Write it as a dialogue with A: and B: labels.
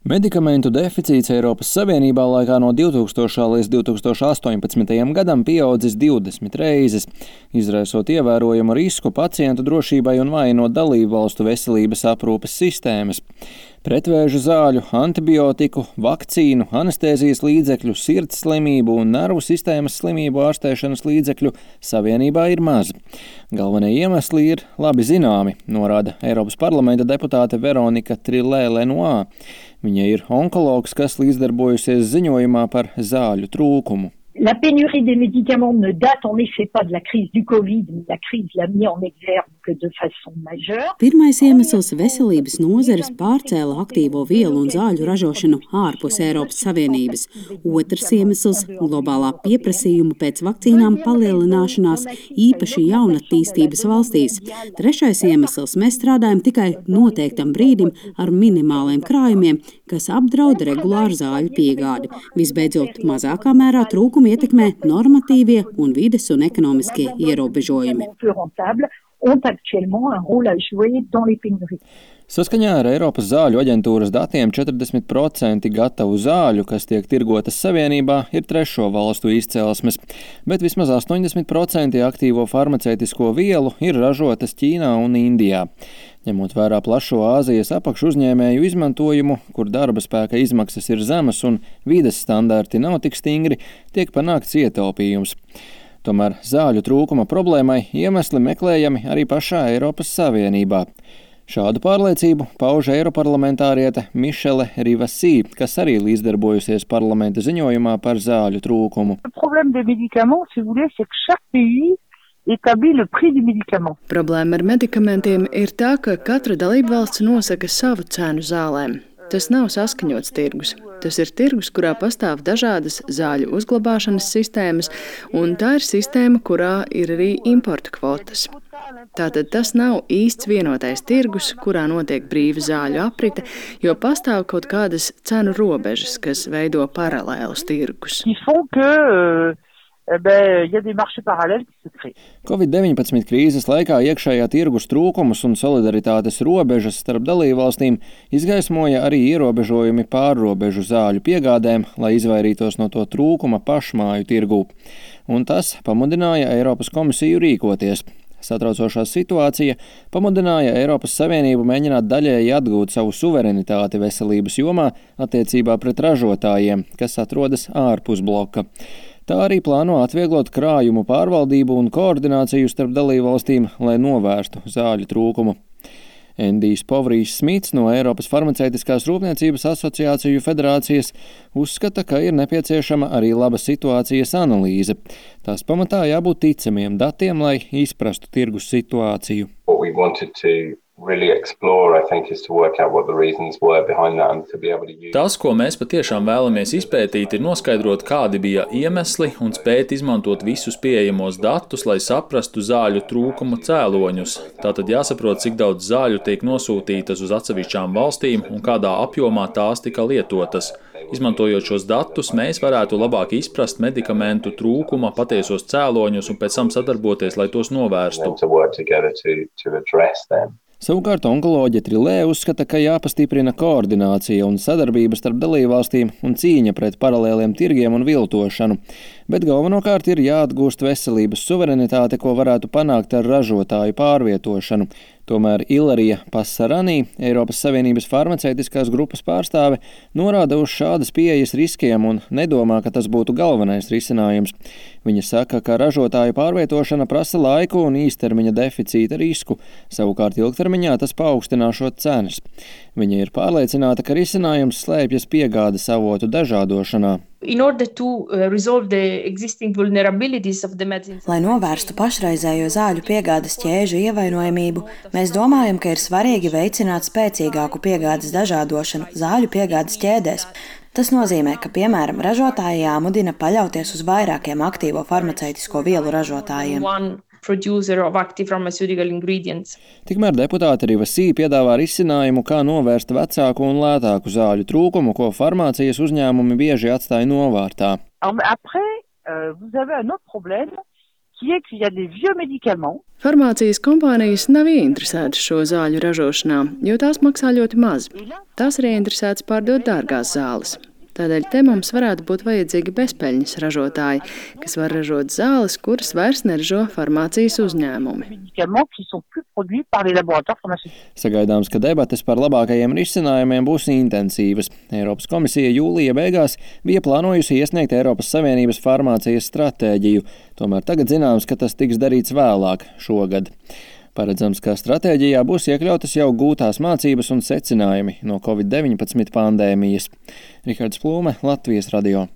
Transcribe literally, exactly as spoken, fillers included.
A: Medikamentu deficīts Eiropas Savienībā laikā no divtūkstošā līdz divi tūkstoši astoņpadsmitajam gadam pieaudzis divdesmit reizes, izraisot ievērojamu risku pacientu drošībai un vājinot dalību valstu veselības aprūpes sistēmas. Pretvēža zāļu, antibiotiku, vakcīnu, anestēzijas līdzekļu, sirds slimību un nervu sistēmas slimību ārstēšanas līdzekļu Savienībā ir maz. Galvenie iemesli ir labi zināmi, norāda Eiropas parlamenta deputāte Veronika Trilē-Lenoir. Viņa ir onkologs, kas līdzdarbojusies ziņojumā par zāļu trūkumu.
B: La pénurie des médicaments ne date en effet pas de la crise du Covid, mais la crise l'a mis en exergue de façon majeure.
C: Pirmais iemesls veselības nozares pārcēla aktīvo vielu un zāļu ražošanu ārpus Eiropas Savienības. Otrs iemesls – globālā pieprasījuma pēc vakcīnām palielināšanās, īpaši jaunatīstības valstīs. Trešais iemesls – mēs strādājam tikai noteiktam brīdim ar minimāliem krājumiem, kas apdraud regulāru zāļu piegādi. Visbeidzot, mazākā mērā trūkumi ietekmē normatīvie un vides un ekonomiskie ierobežojumi.
A: Saskaņā ar Eiropas zāļu aģentūras datiem četrdesmit procenti gatavu zāļu, kas tiek tirgotas Savienībā, ir trešo valstu izcelsmes, bet vismaz astoņdesmit procenti aktīvo farmaceitisko vielu ir ražotas Ķīnā un Indijā. Ņemot vērā plašo Āzijas apakšu uzņēmēju izmantojumu, kur darba spēka izmaksas ir zemas un vides standarti nav tik stingri, tiek panākts ietaupījums. Tomēr zāļu trūkuma problēmai iemesli meklējami arī pašā Eiropas Savienībā. Šādu pārliecību pauž eiroparlamentāriete Michele Rivasi, kas arī līdzdarbojusies parlamenta ziņojumā par zāļu trūkumu.
D: Problēma ar medikamentiem ir tā, ka katra dalībvalsts nosaka savu cenu zālēm. Tas nav saskaņots tirgus. Tas ir tirgus, kurā pastāv dažādas zāļu uzglabāšanas sistēmas, un tā ir sistēma, kurā ir arī importa kvotas. Tātad tas nav īsts vienotais tirgus, kurā notiek brīva zāļu aprite, jo pastāv kaut kādas cenu robežas, kas veido paralēlus tirgus.
A: Covid deviņpadsmit krīzes laikā iekšējā tirgus trūkumus un solidaritātes robežas starp dalībvalstīm izgaismoja arī ierobežojumi pārrobežu zāļu piegādēm, lai izvairītos no to trūkuma pašmāju tirgū. Un tas pamudināja Eiropas komisiju rīkoties. Satraucošā situācija pamudināja Eiropas Savienību mēģināt daļēji atgūt savu suverenitāti veselības jomā attiecībā pret ražotājiem, kas atrodas ārpus bloka. Tā arī plāno atvieglot krājumu pārvaldību un koordināciju starp dalībvalstīm, lai novērstu zāļu trūkumu. Endijs Povrijs Smits no Eiropas farmaceitiskās rūpniecības asociāciju federācijas uzskata, ka ir nepieciešama arī laba situācijas analīze. Tās pamatā jābūt ticamiem datiem, lai izprastu tirgus situāciju.
E: Tas, ko mēs patiešām vēlamies izpētīt, ir noskaidrot, kādi bija iemesli un spēt izmantot visus pieejamos datus, lai saprastu zāļu trūkuma cēloņus. Tātad jāsaprot, cik daudz zāļu tiek nosūtītas uz atsevišķām valstīm un kādā apjomā tās tika lietotas. Izmantojot šos datus, mēs varētu labāk izprast medikamentu trūkuma patiesos cēloņus un pēc tam sadarboties, lai tos novērstu.
A: Savukārt onkoloģe Trilē uzskata, ka jāpastiprina koordinācija un sadarbība starp dalībvalstīm un cīņa pret paralēliem tirgiem un viltošanu, bet galvenokārt ir jāatgūst veselības suverenitāte, ko varētu panākt ar ražotāju pārvietošanu. Tomēr Ilarija Passaranī, Eiropas Savienības farmaceitiskās grupas pārstāve, norāda uz šādas pieejas riskiem un nedomā, ka tas būtu galvenais risinājums. Viņa saka, ka ražotāju pārvietošana prasa laiku un īstermiņa deficīta risku, savukārt ilgtermiņā tas paaugstināšot cenas. Viņa ir pārliecināta, ka risinājums slēpjas piegādes avotu dažādošanā.
F: Lai novērstu pašreizējo zāļu piegādes ķēžu ievainojamību, mēs domājam, ka ir svarīgi veicināt spēcīgāku piegādes dažādošanu zāļu piegādes ķēdēs. Tas nozīmē, ka, piemēram, ražotāji jāmudina paļauties uz vairākiem aktīvo farmaceitisko vielu ražotājiem.
A: Tikmēr deputāte Rivasi piedāvā risinājumu, kā novērst vecāku un lētāku zāļu trūkumu, ko farmācijas uzņēmumi bieži atstāja novārtā.
B: qui est qu'il y a des vieux médicaments.
D: Farmācijas kompānijas nav ieinteresētas šo zāļu ražošanā, jo tās maksā ļoti maz. Tās ir ieinteresētas pārdot dārgās zāles. Tādēļ te mums varētu būt vajadzīgi bezpeļņas ražotāji, kas var ražot zāles, kuras vairs neražo farmācijas uzņēmumi.
A: Sagaidāms, ka debates par labākajiem risinājumiem būs intensīvas. Eiropas komisija jūlija beigās bija plānojusi iesniegt Eiropas Savienības farmācijas stratēģiju, tomēr tagad zināms, ka tas tiks darīts vēlāk šogad. Paredzams, ka stratēģijā būs iekļautas jau gūtās mācības un secinājumi no covid deviņpadsmit pandēmijas. Rihards Plūme, Latvijas radio.